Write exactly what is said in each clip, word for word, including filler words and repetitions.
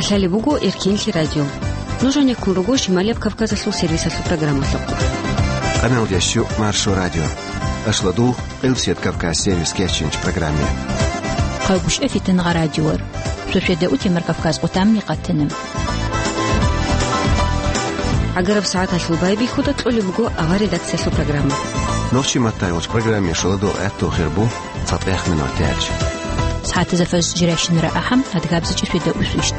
Лъалеб буго Эркинлъи радио. Нуж гьанеккун руго Шималияб Кавказалъул сервисалъул программалъухъ. Къаналдящу Маршо радио. Ашладул, Къилсият Кавказ сервис кечинч программе. Хъайгушев Фитнагъа радиор. Сосиеда утемар Кавказ къутамни къатана. Агараб сагӀаталъул байбихьуда кьолеб буго авар редакциялъул программа. Нохчи маттай вач программе шаладул гӀатту хирбу. ЦатӀехмин ватарч. СагӀатазда фаз жирайщинара ахӀам, адгабзичӀи сведа усвищт.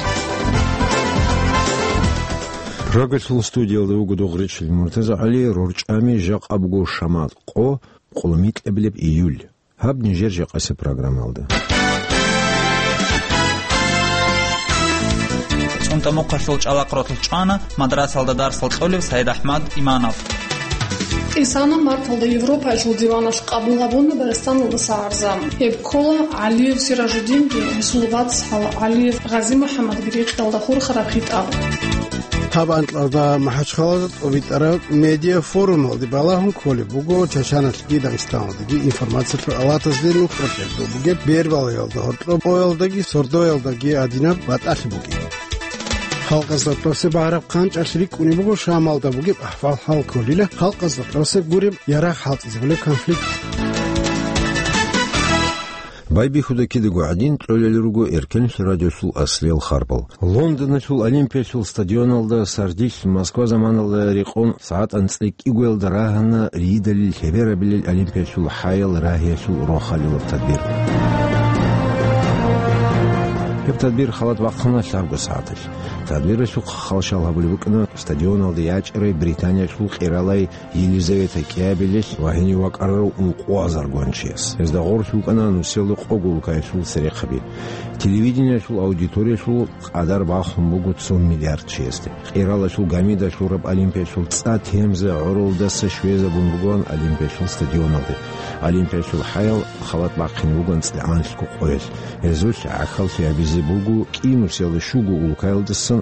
Прагалъул студиялда вуго Дугъричил Муртаза ГӀали, рорчӀами жакъа буго шамат къо, къулумикьабилеб июль. Гьаб нижер жакъасеб программалда. ЦӀунтӀа мухъалъул чӀалахъ ролъ чӀвана мадрасалда дарсал кьолев СагӀид-АхӀмад Иманов. Исана марталда Европаялъул диваналъ къабул гьабуна Дагъистаналдаса гӀарза. Гьеб ккола ГӀалиев Сиражуддинги, гьесул вацгӀал ГӀалиев Гъази-МухӀаммадги рекъелда хурхараб хитӀаб. Гьаб анкьалда МахӀачхъалада тӀобитӀараб медиафорумалде балагьун кколеб буго Чачаналъги Дагъистаналдеги информациялъул алатазде нухда тӀерхьун бугеб бербалаялда гьоркьоб къоялдаги сордоялдаги гьадинаб батӀалъи бугеб. Халкъазда тӀосе багьараб хъанчӀалъ рикӀкӀунеб буго Шамалда бугеб ахӀвал-хӀал кколила, халкъазда тӀосе гуреб ярагъ хӀалтӀизабулеб конфликт. Байбихьуда кидаго гӀадин, кьолел руго Эркенлъи радиолъул аслиял харбал. Лондоналъул Олимпиялъул стадионалда сардилъ Москва заманалда рекъон сагӀат анцӀила кӀигоялда рагьана рийидалил лъеберабилел Олимпиялъул хӀаял рагьиялъул рохалилаб тадбир. Гьеб тадбир халат бахъана лъабго сагӀаталъ. Тадбиралъухъ хал-шал гьабулеб букӀана стадионалда ячӀарай Британиялъул къералай Елизавета кӀиабилелъ ва гьенив вакӀарарав ункъо азар гончияс. Гьезда гъорлъ букӀана нусиялда къого улкаялъул церехъаби. Телевидениялъул аудиториялъул къадар бахун буго цо миллиард чиясде. Къералалъул гамида лъураб Олимпиялъул цӀа Темза гӀоролдаса щвезабун бугоан Олимпиялъул стадионалде. Олимпиялъул хӀаял халат бахъине бугоан цӀикӀкӀанлъго къоялъ. Гьезулъ гӀахьаллъи гьабизе буго кӀи нусиялда щуго улкаялдасан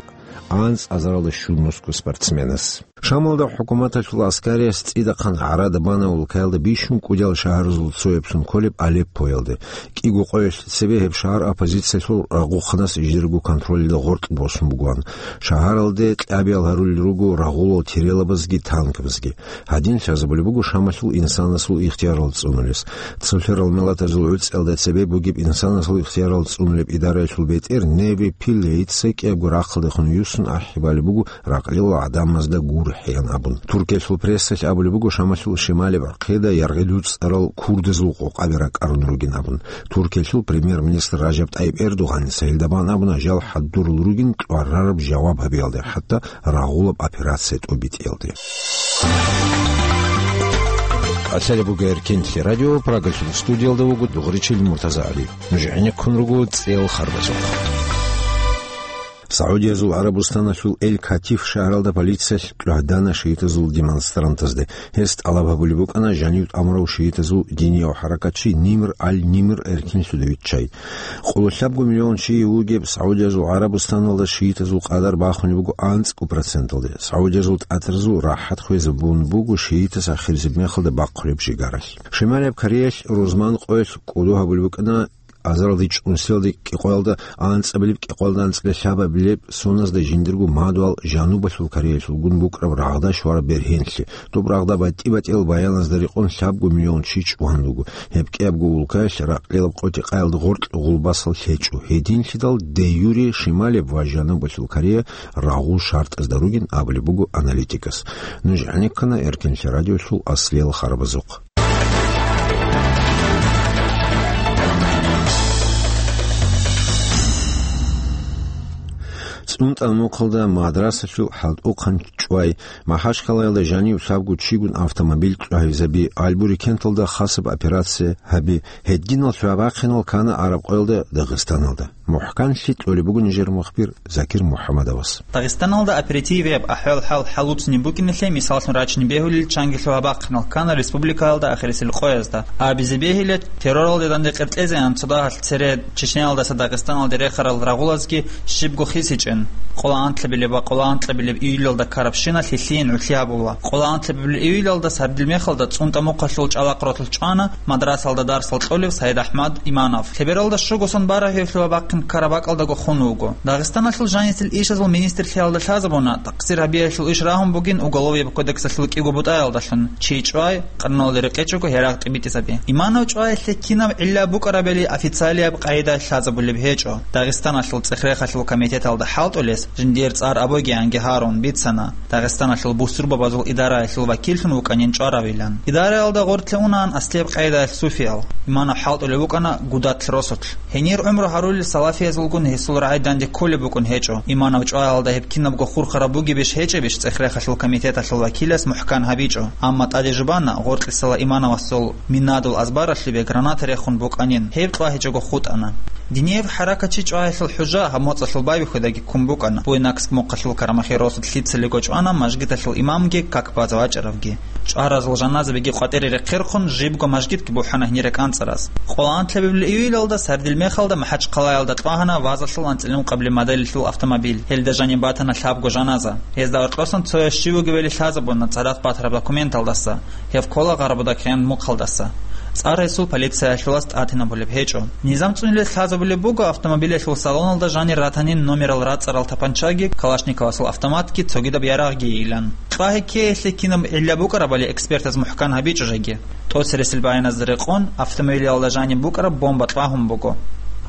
анцӀазаралда щуго спортсменас. Шамалда хӀукуматалъул аскариялъ цӀидахъан гӀарада бана улкаялда бищун кӀудиял шагьаралъул цояблъун кколеб Алеппоялде. КӀиго къоялъ цебе гьеб шагьар оппозициялъул рагъухъанас жидерго контролида гъоркь босун бугоан. Шагьаралде кьабиял гьарулел руго рагъулал тирелабазги танкабазги. Гьадин лъазабулеб буго Шамалъул инсанасул ихтиярал цӀунулес. Цолъарал миллатазул гӀуцӀиялда цебе бугеб инсанасул ихтиярал цӀунулеб идараялъул бетӀер Неви Пиллейца кӀиябго рахъалдехун юссун ахӀи балеб буго ракълил гӀадамазда гурхӀеян абун. Туркиялъул прессалъ абулеб буго Шамалъул шималеб гӀахъида яргъи дуцӀарал курдазул къокъаби ракӀарун ругин абун. Туркиялъул премьер-министр Ражаб ТӀайиб Эрдогъаница гьелда бан абуна жал хӀадурал ругин кьварараб жаваб гьабиялде, хӀатта рагъулаб операция тӀобитӀиялде. Асалабуга Эркинлъи радио, Прагалъул студиялда вуго Дугъричил Муртаза ГӀали. Нуж гӀенеккун руго цӀел харбазухъ. Саудиязул ГӀарабустаналъул Эль-Катиф шагьаралда полициялъ кьвагьдана шиитазул демонстрантазде. Гьес тӀалаб гьабулеб букӀана жанив тӀамурав шиитазул динияв хӀаракатчи Нимр аль-Нимр эркинлъуда виччай. Къоло лъабго миллион чи вугеб Саудиязул ГӀарабустаналда шиитазул къадар бахунеб буго анцӀго проценталде. Саудиязул тӀатаразул рахӀат хвезабун буго шиитас ахирзаб мехалда бахъулеб жигаралъ. Шималияб Кореялъ рузман къоялъ кӀодо гьабулеб букӀана азаралда чӀунсиялда кӀикъоялда анцӀабилеб кӀикъоялда анцӀила лъабабилеб соназда жиндирго мадугьал Жанубалъул Кореялъулгун букӀараб рагъда щвараб бергьенлъи. Доб рагъда батӀи-батӀиял баяназда рекъон лъабго миллион чи чӀван руго. Гьеб кӀиябго улкаялъ ракълилаб къотӀи-къаялда гъоркь гъулбасал лъечӀо. Гьединлъидал де-юре шималеб ва Жанубалъул Корея рагъул шартӀазда ругин абулеб буго аналитикас. Нуж гӀенеккана Эркинлъи радиолъул аслиял харбазухъ. ЦӀунтӀа мухъалда мадрасалъул хӀалтӀухъан чӀвай, Махачкалаялда жанив лъабго чигун автомобиль кьвагьизаби, Альбури кенталда хасаб операция гьаби, гьединал лъугьа-бахъинал ккана Араб къоялда Дагъистаналда. МухӀканлъи кьолеб буго нижер мухбир Закир МухӀаммадовас. Дагъистаналда оперативияб ахӀвал-хӀал хӀалуцни букӀиналъе мисаллъун рачине бегьулел чанги лъугьа-бахъинал ккана республикаялда ахирисел къоязда. Абизе бегьила, терроралде данде къеркьезеян цо дагьалъ цере Чечниялдаса Дагъистаналде рехарал рагъулазги щибго хисичӀин. Къоло анлъабилеб ва къоло анкьабилеб июлалда ккарабщина лъилъийин гӀурлъи гьабула. Къоло анлъабилеб июлалда сардил мехалда цӀунтӀа мухъалъул чӀалахъ ротулъ чӀвана мадрасалда дарсал кьолев Саид АхӀмад Иманов. Лъебералда щуго сон барагьиялъул ва бахъин ккараб бакӀалдаго хун вуго. Дагъистаналъул жанисел ишазул министрлъиялда лъазабуна, тӀакъсир гьабиялъул иш рагьун бугин Уголовый кодексалъул кӀиго бутӀаялдалъун: чи чӀвай, къаруналде рекъечӀого гьерагъ тӀибитӀизаби. Иманов чӀваялъе кинаб гӀилла букӀарабали официалияб къагӀидаялъ лъазабулеб гьечӀо. Дагъистаналъул цӀех-рехалъул комитеталда хӀалтӀулес жиндир цӀар абугеянги гьарун бицана, Дагъистаналъул бусурбабазул идараялъул вакиллъун вукӀанин чӀваравилан. Идараялда гъорлъе унаан аслияб къагӀидаялъ суфиял. Иманов хӀалтӀулев вукӀана Гудатлъ росулъ. Гьенир гӀумру гьарулел салафиязулгун гьесул рагӀи данде кколеб букӀун гьечӀо. Иманов чӀваялда гьеб кинабго хурхараб бугебищ гьечӀебищ цӀех-рехалъул комитеталъул вакилас мухӀкан гьабичӀо. Амма тӀаде жубана, гъоркьисала Имановасул минадул азбаралъубе граната рехун букӀанин, гьеб кьвагьичӀого хутӀана. Динияб хӀаракатчи чӀваялъул хӀужа гьаб моцӀалъул байбихьудаги ккун букӀана, Буйнакск мухъалъул Карамахи росулъ лъицалиго чӀвана мажгиталъул имамги как базе вачӀаравги. ЧӀваразул жаназабиги къватӀире рехъерхъун, жибго мажгитги бухӀана гьенир рекӀанцӀараз. Къоло анлъабилеб июлалда сардил мехалда МахӀачхъалаялда кьвагьана вазалъул анцӀила ункъабилеб моделалъул автомобиль. Гьелда жаниб батана лъабго жаназа. Гьезда гьоркьосан цояс щив вугевали лъазабуна цадахъ батараб документалдаса. Гьев ккола Гъарбуда кьен мухъалдаса. ЦӀар гьесул полициялъулас тӀатинабулеб гьечӀо. Низам цӀунулес лъазабулеб буго автомобилялъул салоналда жанир ратанин номерал рацӀцӀарал тапанчаги, Калашниковасул автоматги, цогидаб ярагъги йилан. Кьвагьи ккеялъе кинаб гӀилла букӀарабали экспертаз мухӀкан гьабичӀо жеги. ТӀоцересел баяназда рекъон, автомобилялда жаниб букӀараб бомба кьвагьун буго.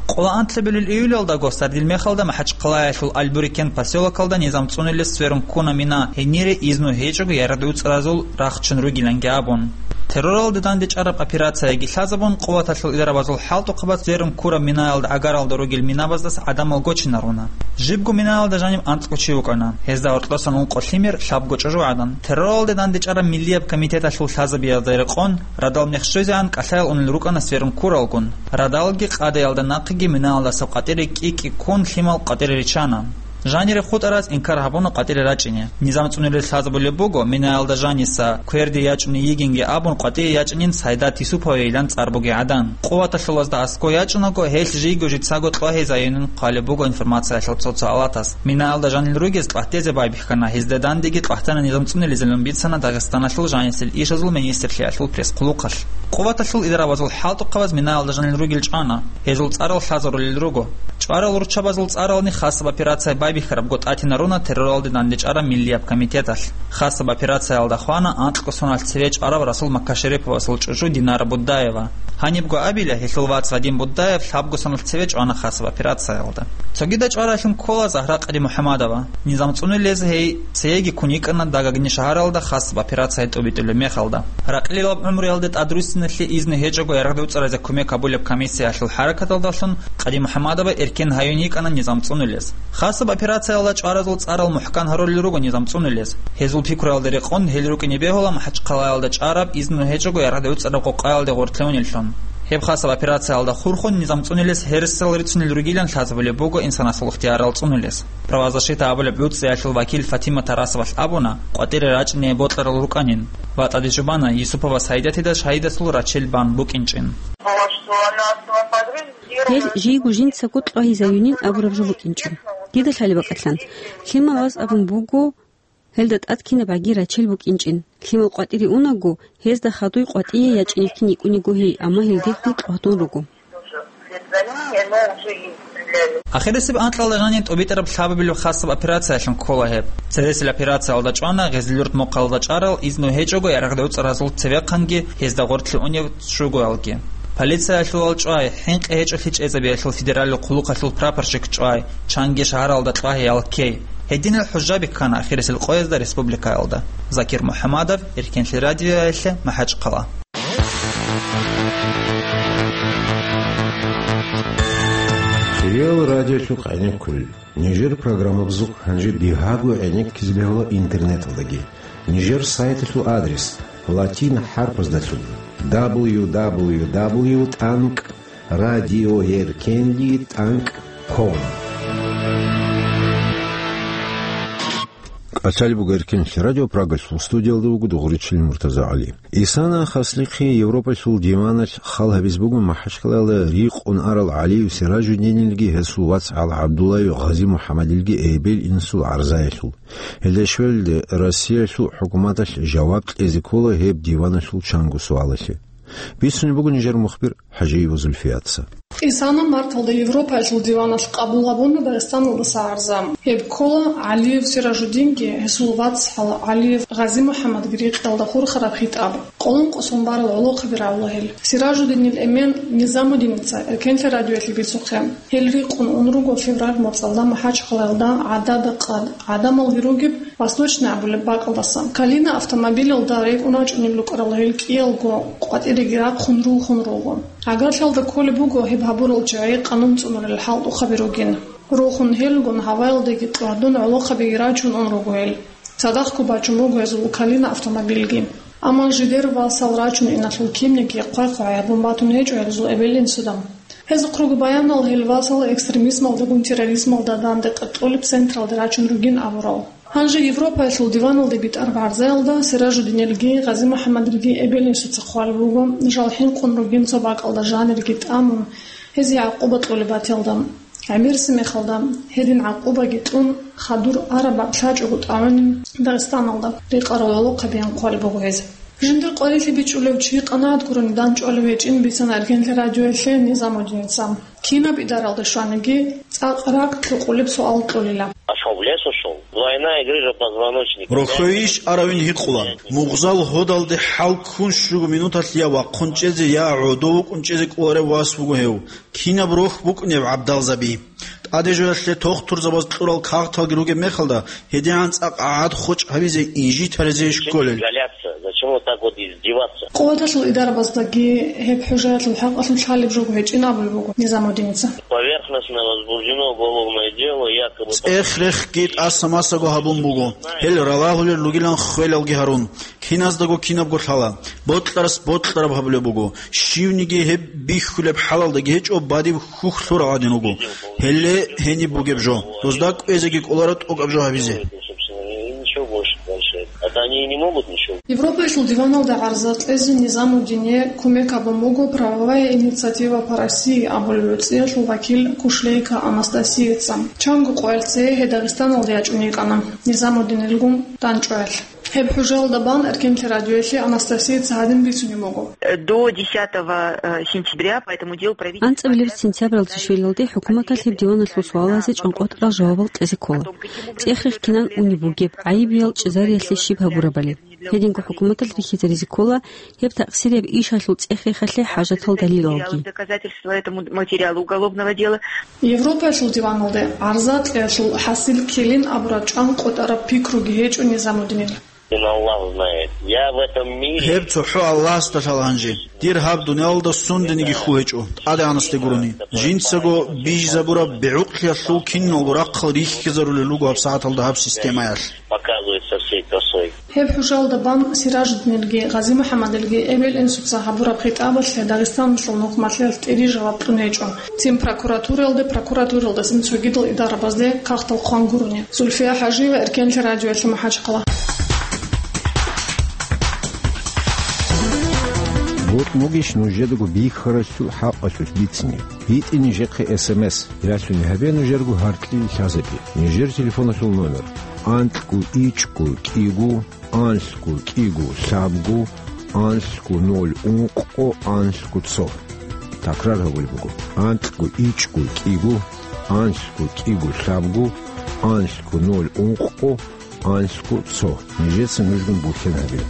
Къоло анлъабилел июлалдаго сардил мехалда МахӀачхъалаялъул Албурикен посёлокалда низам цӀунулес сверун ккуна мина, гьенире изну гьечӀого ярагъдуцӀаразул рахчун ругиланги абун. Терроралде дандечӀараб операцияги лъазабун, къуваталъул идарабазул хӀалтӀухъабаз сверун ккураб минаялда гӀагаралда ругел минабаздаса гӀадамал гочинаруна. Жибго минаялда жаниб анцӀго чи вукӀана. Гьезда гьоркьосан ункъо лъимер, лъабго чӀужугӀадан. Терроралде дандечӀараб миллияб комитеталъул лъазабиялда рекъон, радал мех щвезегӀан кӀалъаял унел рукӀана сверун ккуралгун. Радалги къадаялда нахъеги минаялдаса къватӀире кӀи-кӀи ккун лъимал къватӀире риччана. Жанире хутӀараз инкар гьабуна къватӀире рачӀине. Низам цӀунулес лъазабулеб буго, минаялда жаниса кверде ячӀуней йигинги абун къватӀие ячӀинин Сайдат Юсуповейилан цӀар бугей гӀадан. Къуваталъулазда аскӀо ячӀунаго, гьелъ жийго-жицаго кьвагьизаюнин хъвалеб буго информациялъул цо-цо алатас. Минаялда жанил ругез кьатӀезе байбихьана, гьезда дандеги кьатӀана низам цӀунулезилан бицана Дагъистаналъул жанисел ишазул министрлъиялъул пресс-хъулухъалъ. Къуваталъул идарабазул хӀалтӀухъабаз минаялда жанил ругел чӀвана, гьезул цӀарал лъазарулел руго. ЧӀварал руччабазул цӀарални хасаб операция байбихьарабго тӀатинаруна терроралде дандечӀараб миллияб комитеталъ. Хасаб операциялда хвана анкьго соналъ цеве чӀварав Расул Маккашериповасул чӀужу Динара Будаева. Гьанибго абила, гьелъул вац Вадим Будаев лъабго соналъ цеве чӀвана хасаб операциялда. Цогида чӀвараялъун ккола Загьра Къадимухьамадова. Низам цӀунулез гьей цееги ккун йикӀана Дагагни шагьаралда хасаб операция тӀубитӀулеб мехалда. Ракълилаб гӀумруялде тӀадруссиналъе изну гьечӀого ярагъдуцӀаразе кумек гьабулеб комиссиялъул хӀаракаталдалъун Къадимухьамадова эркен гьаюн йикӀана низам цӀунулез. Хасаб операциялда чӀваразул цӀарал мухӀкан гьарулел руго низам цӀунулез. Гьезул пикруялда рекъон гьел рукӀине бегьула МахӀачхъалаялда чӀараб изну гьечӀого ярагъдуцӀараб къокъаялде гъоркье унеллъун. Гьеб хасаб операциялда хурхун низам цӀунулес гьересал рицунел ругилан лъазабулеб буго инсанасул ихтиярал цӀунулес. Правозащита абулеб гӀуцӀиялъул вакил Фатима Тарасовалъ абуна, къватӀире рачӀине бокьарал рукӀанин ва тӀаде жубана Юсупова Сайдатида шагьидасул рачел бан букӀинчӀин. Гьел жийго жинцаго кьвагьизаюнин абураб жо букӀинчӀо. Дида лъалеб бакӀалъан, лъимал ваз абун буго, гьелда тӀад кинаб гӀаги рачел букӀинчӀин. Лъимал къватӀире унаго, гьезда хадуй къватӀие ячӀинехъин йикӀуниго гьей, амма гьелде хӀукъ гьадун руго. Ахирисеб анкьалда жаниб тӀубитӀараб лъабабилеб хасаб операциялъун ккола гьеб. Цересел операциялда чӀвана Гъезльюрт мухъалда чӀарал изну гьечӀого ярагъдуцӀаразул цевехъанги гьезда гъоркье унев щугоялги. Полициялъулал чӀвай, хӀинкъи гьечӀолъи чӀезабиялъул федералил хъулухъалъул прапорщик чӀвай, чанги шагьаралда кьвагьиялъ ккей. Гьединал хӀужа бихьана ахирисел къоязда республикаялда. Закир МухӀамадов, Эркенлъи радиоялъе, МахӀачхъала. Хириял радиолъухъ гӀенеккулел. Нижер программабазухъ гьанже бигьаго гӀенеккизе бегьула интернеталдаги. Нижер сайталъул адрес латин хӀарпаздалъун: дабл ю дабл ю дабл ю тӀанкӀ радиоэркенлъи тӀанкӀ ком. Къачалиб буго Эркенлъи радио, Прагалъул студиялда вуго Дугъричилин Муртаза ГӀали. Исана Хаслихъи Европалъул диваналъ хал гьабиз буго МахӀачкъалаялда рикъун арал ГӀалиев Сиражуддинилги гьесул вац ГӀал ГӀабдуллаев Гъази-МухӀаммадилги эбел-инсул гӀарзаялъул. Гьелда щвелалде Россиялъул хӀукуматалъ жаваб кьезе ккола гьеб диваналъул чанго суалалъе. Бицунеб буго нижер мухбир ХӀажиева Зульфияца. Исана марталда Европаялъул диваналъ къабул гьабуна Дагъистаналдаса гӀарза. Гьеб ккола ГӀалиев Сиражуддинги гьесул вацгӀал ГӀалиев Гъази-МухӀаммадги рикъиялда хурхараб хитӀаб. Къоло ункъо сон барал гӀолохъаби рагӀула гьел. Сиражуддинил эмен Низамуддиница Эркенлъи радиоялъе бицухъе. Гьел рикъун ун руго февраль моцӀалда МахӀачкъалаялда гӀадада къад, гӀадамалги ругеб, Восточный абулеб бакӀалдаса. Калина автомобилалда рекӀун рачӀунел рукӀарал гьел кӀиялго къватӀиреги рахъун рулхун руго. Гьагарлъиялда кколеб буго гьеб гьабурал чагӀи къанун цӀунулел хӀалтӀухъаби ругин. Рухун гьелгун гьаваялдаги кьвадун гӀолохъабиги рачун ун руго гьел. Цадахъго бачун буго гьезул Калина автомобилги. Амма жидер васал рачун иналъул кинниги хъвай-хъвай гьабун батун гьечӀо гьезул эбел-инсуда. Гьезухъ руго баянал гьел васал экстремизмалдагун терроризмалда данде къеркьулеб централде рачун ругин абурал. Гьанже Европаялъул диваналде битӀараб гӀарзаялда Сиражуддинилги Гъази-МухӀаммадилги эбел-инсуца хъвалеб буго, жал хӀинкъун ругин цо бакӀалда жанирги тӀамун, гьезие гӀакъуба кьолеб батиялда. ГӀемерисеб мехалда, гьедин гӀакъубаги кьун, хадур араб бакӀ лъачӀого тӀагӀунин Дагъистаналда рекъарал гӀолохъабиян хъвалеб буго гьез. Жиндир къварилъи бичӀчӀулев чи къанагӀат гурони дандчӀвалев гьечӀин бицана Эркенлъи радиоялъе Низамуддиница. Кинаб идаралда щваниги, цӀакъ ракӀ кьукъулеб суал кьолила. А что, в лес ушёл? Двойная грыжа позвоночника. Рохьойищ аравин гьикъула. Мугъзал гьодалде хӀал ккун щуго минуталъ я вахъун чӀезе, я гӀодов вукӀун чӀезе кӀоларев вас вуго гьев. Кинаб рохь букӀунеб гӀабдалзаби? ТӀаде жоялъе тохтурзабаз кьурал кагъталги ругеб мехалда, гьедигӀан цӀакъ гӀад хочӀ гьабизе инжитаризейищ кколел? Зачем вот так вот издеваться? Къуваталъул идарабаздаги гьеб хӀужаялъул хӀакъалъулъ лъалеб жого гьечӀин абулеб буго Низамуддиница. Поверхностно возбуждено уголовное дело, якобы... ЦӀех-рехги тӀаса-масаго гьабун буго, гьел ралагьулел ругилан ххвелалги гьарун. Киназдаго кинабго лъала. Бокьарас бокьараб гьабулеб буго. Щивниги гьеб бихьулеб хӀалалдаги гьечӀо, бадиб хьухь лъурал гӀадин руго. Гьеле гьениб бугеб жо. Дозда кӀвезеги кӀоларо тӀокӀаб жо гьабизе. Ничего больше дальше. Это они и не могут ничего. Европаялъул диваналда гӀарза кьезе Низамуддине кумек гьабун буго «Правовая инициатива по России» абулеб гӀуцӀиялъул вакил Кушлейко Анастасияца. Чанго къоялъ цее гьей Дагъистаналде ячӀун йикӀана, Низамуддинилгун дандчӀваялъ. Гьеб хӀужаялда бан Эркенлъи радиоялъе Анастасияца гьадин бицунеб буго. До десятого сентября по этому делу правительство... АнцӀабилеб сентябралда щвелалде хӀукуматалъ гьеб диваналъул суалазе чӀванкъотӀарал жавабал кьезе ккола. ЦӀех-рех кинан унеб бугеб, гӀайибиял чӀезариялъе щиб гьабурабали. Гьединго хӀукуматалъ рихьизаризе ккола гьеб такъсирияб ишалъул цӀех-рехалъе хӀажатал далилалги. Доказательства этому материалу уголовного дела. Европаялъул диваналде гӀарза кьеялъул хӀасил ккелин абураб чӀванкъотӀараб пикруги гьечӀо Низамуддинил. Аллах знает. Я в этом мире... Гьеб цохӀо Аллагьасда лъала гьанже. Дир гьаб дуниялалда сундениги хьул гьечӀо, ТӀадегӀанасде гурони. Жинцаго бижизабураб бигӀукълъиялъул киналго рахъал рихьизарулел руго гьабсагӀаталда гьаб системаялъ. Показывает со всей красой. Гьеб хӀужаялда бан Сиражуддинилги Гъази-МухӀаммадилги эбел-инсуца гьабураб хитӀабалъе Дагъистаналъул нухмалъиялъ тӀири жаваб кьун гьечӀо. Цин прокуратураялде, прокуратуралдасан цогидал идарабазде кагътал хъван гурони. Зульфия ХӀажиева, Эркенлъи радиоялъе, МахӀачхъала. БутӀ бугищ нужедаго бихьаралъул хӀакъалъулъ бицине? БитӀе нижехъе эс эм эс. Ялъуни гьабе нужерго гьаркьил лъазабе. Нижер телефоналъул номер: анкьго ичӀго кӀиго, анлъго кӀиго лъабго, анлъго ноль ункъго, анлъго цо. Такрар гьабулеб буго: анкьго ичӀго кӀиго, анлъго кӀиго лъабго, анлъго ноль ункъго, анлъго цо. Нижеца нужгун бухьен гьабе.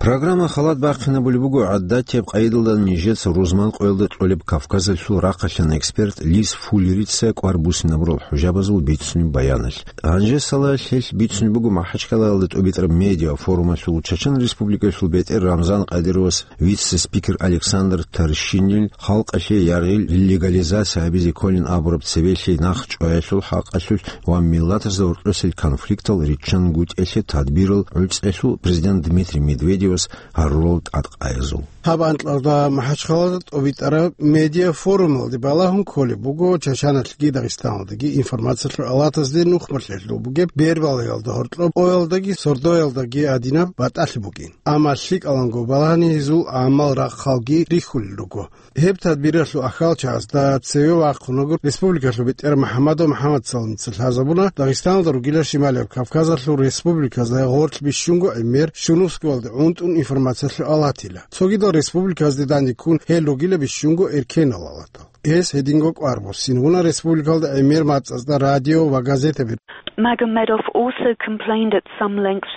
Программа халат бахъинабулеб буго гӀадатияб къайдалда нижеца рузман къоялда кьолеб Кавказалъул рахъалъан эксперт Лис Фуллерица кӀвар буссинабурал хӀужабазул бицунеб баяналъ. Гьанже салалъ гьелъ бицунеб буго МахӀачкъалаялда тӀубитӀараб медиа-форумалъул Чачан Республикалъул бетӀер Рамзан Кадыровас вице-спикер Александр Тарщинил халкъалъе яргъил легализация гьабизе кколин абураб цебелъи нахъчӀваялъул хӀакъалъулъ ва миллатазда гьоркьосел конфликтал риччан гутӀелъе тадбирал гӀуцӀелъул президент Дмитрий Медведев гьарурал тӀадкъаязул. Гьаб анкьалда МахӀачхъалада тӀобитӀараб медиафорумалде балагьун кколеб буго Чачаналъги Дагъистаналдаги информациялъул алатазде нухмалъе лъугьун бугеб бербалаялда гьоркьоб къоялдаги сордоялдаги гьадинаб батӀалъи букӀин. Амма лъикӀаланго балагьани гьезул гӀамал рахъалги рихьулел руго. Гьеб тадбиралъул ахьалчагӀазда цеве вахъунаго республикалъул бетӀер МухӀаммадов МухӀаммадсалница лъазабуна Дагъистаналда ругила Шималияб Кавказалъул республиказда гъорлъ бищунго гӀемер Щунусскалде гӀунтӀун информациялъул алатила. Цогидал республиказде данде ккун гьел ругила бищунго эркенал алатал. Гьес гьединго кӀвар буссин вуна республикалда гӀемер мацӀазда радио ва газетаби. Magomedov also complained at some length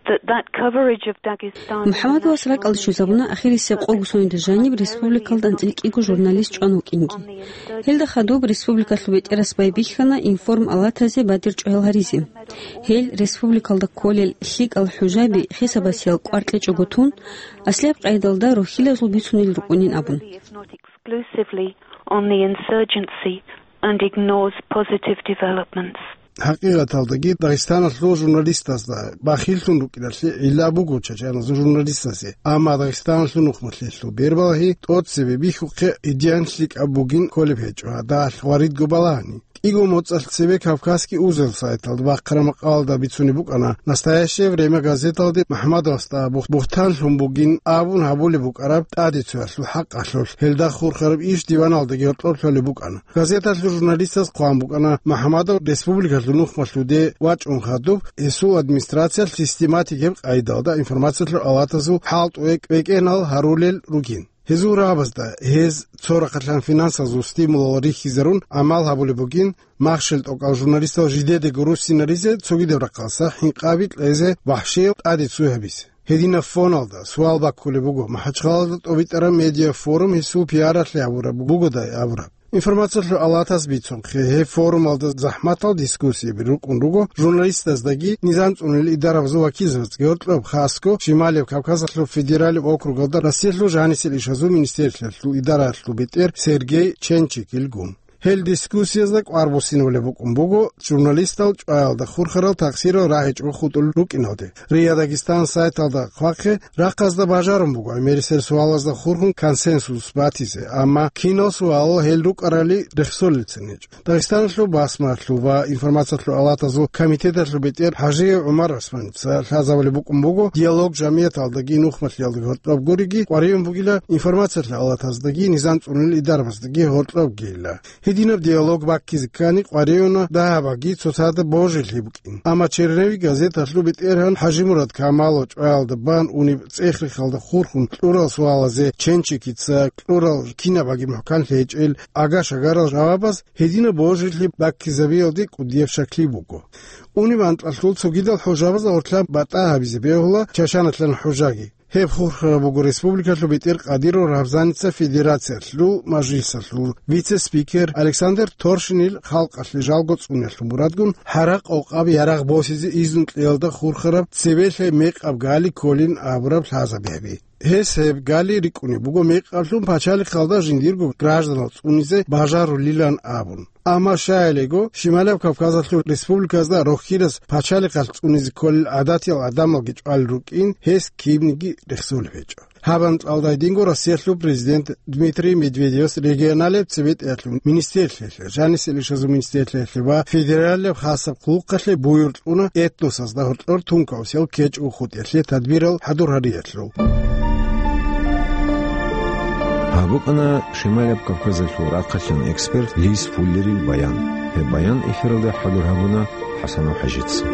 that that coverage of Dagestan МухӀаммадовас ракӀалде щвезабуна ахирисеб къого соналда жаниб республикалда анцӀила кӀиго журналист чӀван вукӀинги. Гьелда хадуб республикалъул бетӀерас байбихьана информ алатазе бадир чӀваял гьаризе. Гьел республикалда кколел лъикӀал хӀужаби хисабасиял кӀвар кьечӀого тун, аслияб къайдалда рохьилазул бицунел рукӀунин абун. Exclusively on the insurgency and ignores positive developments. ХӀакъикъаталдаги Дагъистаналъул журналистазда бахиллъун рукӀиналъе гӀилла буго чачаназул журналистазе, амма Дагъистаналъул нухмалъелъул бербалагьи тӀоцебе бихьухъе идеян лъикӀаб бугин кколеб гьечӀо гьадалъ ва ридго балагьани. КӀиго моцӀалъ цебе Кавказский узел сайталда бахъараб макъалаялда бицунеб букӀана, «Настоящее время» газеталде МухӀаммадовасда бух-, бугьтанлъун бугин абун гьабулеб букӀараб тӀаде цоялъул хӀакъалъулъ, гьелда хурхараб иш диваналдаги гьоркьоб лъолеб букӀана. Газеталъул журналистаз хъван букӀана, МухӀаммадов республикалъул нухмалъуде вачӀун хадуб, гьесул администрациялъ систематикаб къайдалда информациялъул алатазул хӀалтӀуе кӀвекӀенал гьарулел ругин. Гьезул рагӀабазда гьез цо рахъалъан финансазул стимулал рихьизарун гӀамал гьабулеб бугин, махщел тӀокӀал журналистал жидедаго руссинаризе, цогидаб рахъалъа хӀинкъаби кьезе, вахӀшиял тӀаде цой гьабизе. Гьединаб фоналда суал баккулеб буго, МахӀачхъалада тӀобитӀараб медиафорум гьесул пиаралъе гьабураб бугодай абураб. Информациялъул алатас бицунхъе, гьеб форумалда захӀматал дискуссияби рукӀун руго журналистаздаги низам цӀунулел идарабазул вакилзабаздаги гьоркьоб, хасго Шималияб Кавказалъул федералияб округалда Россиялъул жанисел ишазул министерствоялъул идараялъул бетӀер Сергей Ченчикилгун. Гьел дискуссиязда кӀвар буссинабулеб букӀун буго журналистал чӀваялда хурхарал тахсирал рагьичӀого хутӀулел рукӀиналде. РИА Дагестан сайталда хъвахъе, рахъазда бажарун буго гӀемерисел суалазда хурхун консенсус батизе, амма кинал суалал гьел рукӀарали рехсолелцин гьечӀо. Дагъистаналъул басмалъул ва информациялъул алатазул комитеталъул бетӀер ХӀажиев ГӀумар ГӀусманица лъазабулеб букӀун буго, «Диалог» жамияталдаги нухмалъиялдаги гьоркьоб гуриги къваригӀун бугила информациялъул алатаздаги низам цӀунулел идарабаздаги гьоркьобгийила. Гьединаб «Диалог» баккизе ккани къваригӀуна дагьабаги цоцазда божилъи букӀин. Амма «Черновик» газеталъул бетӀергьан ХӀажимурад Камалов чӀваялда бан унеб цӀех-рехалда хурхун кьурал суалазе Ченчикица кьурал кинабаги мухӀканлъи гьечӀел ага-шагарал жавабаз гьединаб божилъи баккизабиялде кӀудияб щаклъи буго. Унеб анкьалъул цогидал хӀужабазда гъорлъа батӀа гьабизе бегьула Чачаналъан хӀужаги. Гьеб хурхараб буго республикалъул бетӀер Къадиров Рабзаница Федерациялъул Мажлисалъул вице-спикер Александр Торшинил халкъалъе жалго цӀуниялъул мурадгун гьаракь-къокъаб ярагъ босизе изну кьеялда хурхараб цебелъай мекъаб гали кколин абураб лъазаби гьаби. Гьес гьеб гали рикӀкӀунеб буго мекъаблъун пачалихъалда жиндирго гражданал цӀунизе бажарулилан абун. Амма щайилего, Шималияб Кавказалъул республиказда рохьилас пачалихъалъ цӀунизе кколел гӀадатиял гӀадамалги чӀвалел рукӀин, гьес кибниги рехсолеб гьечӀо. Гьаб анкьалда гьединго Россиялъул президент Дмитрий Медведевас регионалияб цебетӀеялъул министрлъиялъе, жанисел ишазул министрлъиялъе ва федералияб хасаб хъулухъалъе буюр кьуна этносазда гьоркьор тункаусиял кечӀго хутӀиялъе тадбирал хӀадур гьариялъул. Гьаб букӀана Шималияб Кавказалъул рахъалъан эксперт Лиз Фуллерил баян. Гьеб баян эфиралда хӀадур гьабуна ХӀасанов ХӀажица.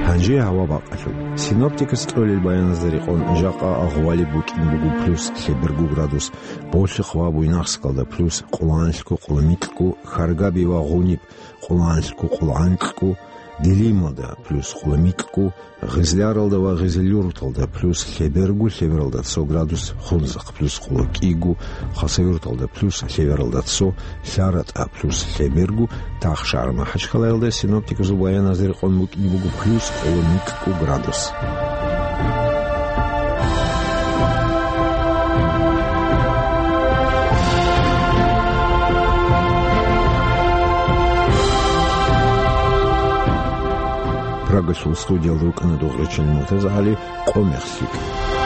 Гьанже гьава бакъалъуб. Синоптикас кьолел баяназда рекъон, жакъа гъвалиб букӀин буго плюс лъеберго градус, Болъихъ ва Буйнакскалда плюс къоланлъго-къоломикьго, Харгаби ва Гъуниб къоланлъго-къолгӀанкьго, Делималда плюс къоломикьго, Гъизляралда ва Гъизлюрталда плюс лъеберго, лъебералда цо градус, Хунзахъ плюс къолокӀиго, Хасавюрталда плюс лъебералда цо, ЛъаратӀа плюс лъеберго, Тахшагьар МахӀачхъалаялда синоптикасул баяназда рекъон букӀине буго плюс къоломикьго градус. Госул студиял рукӀана дугӀричӀел МуртазагӀали Къомехлъи.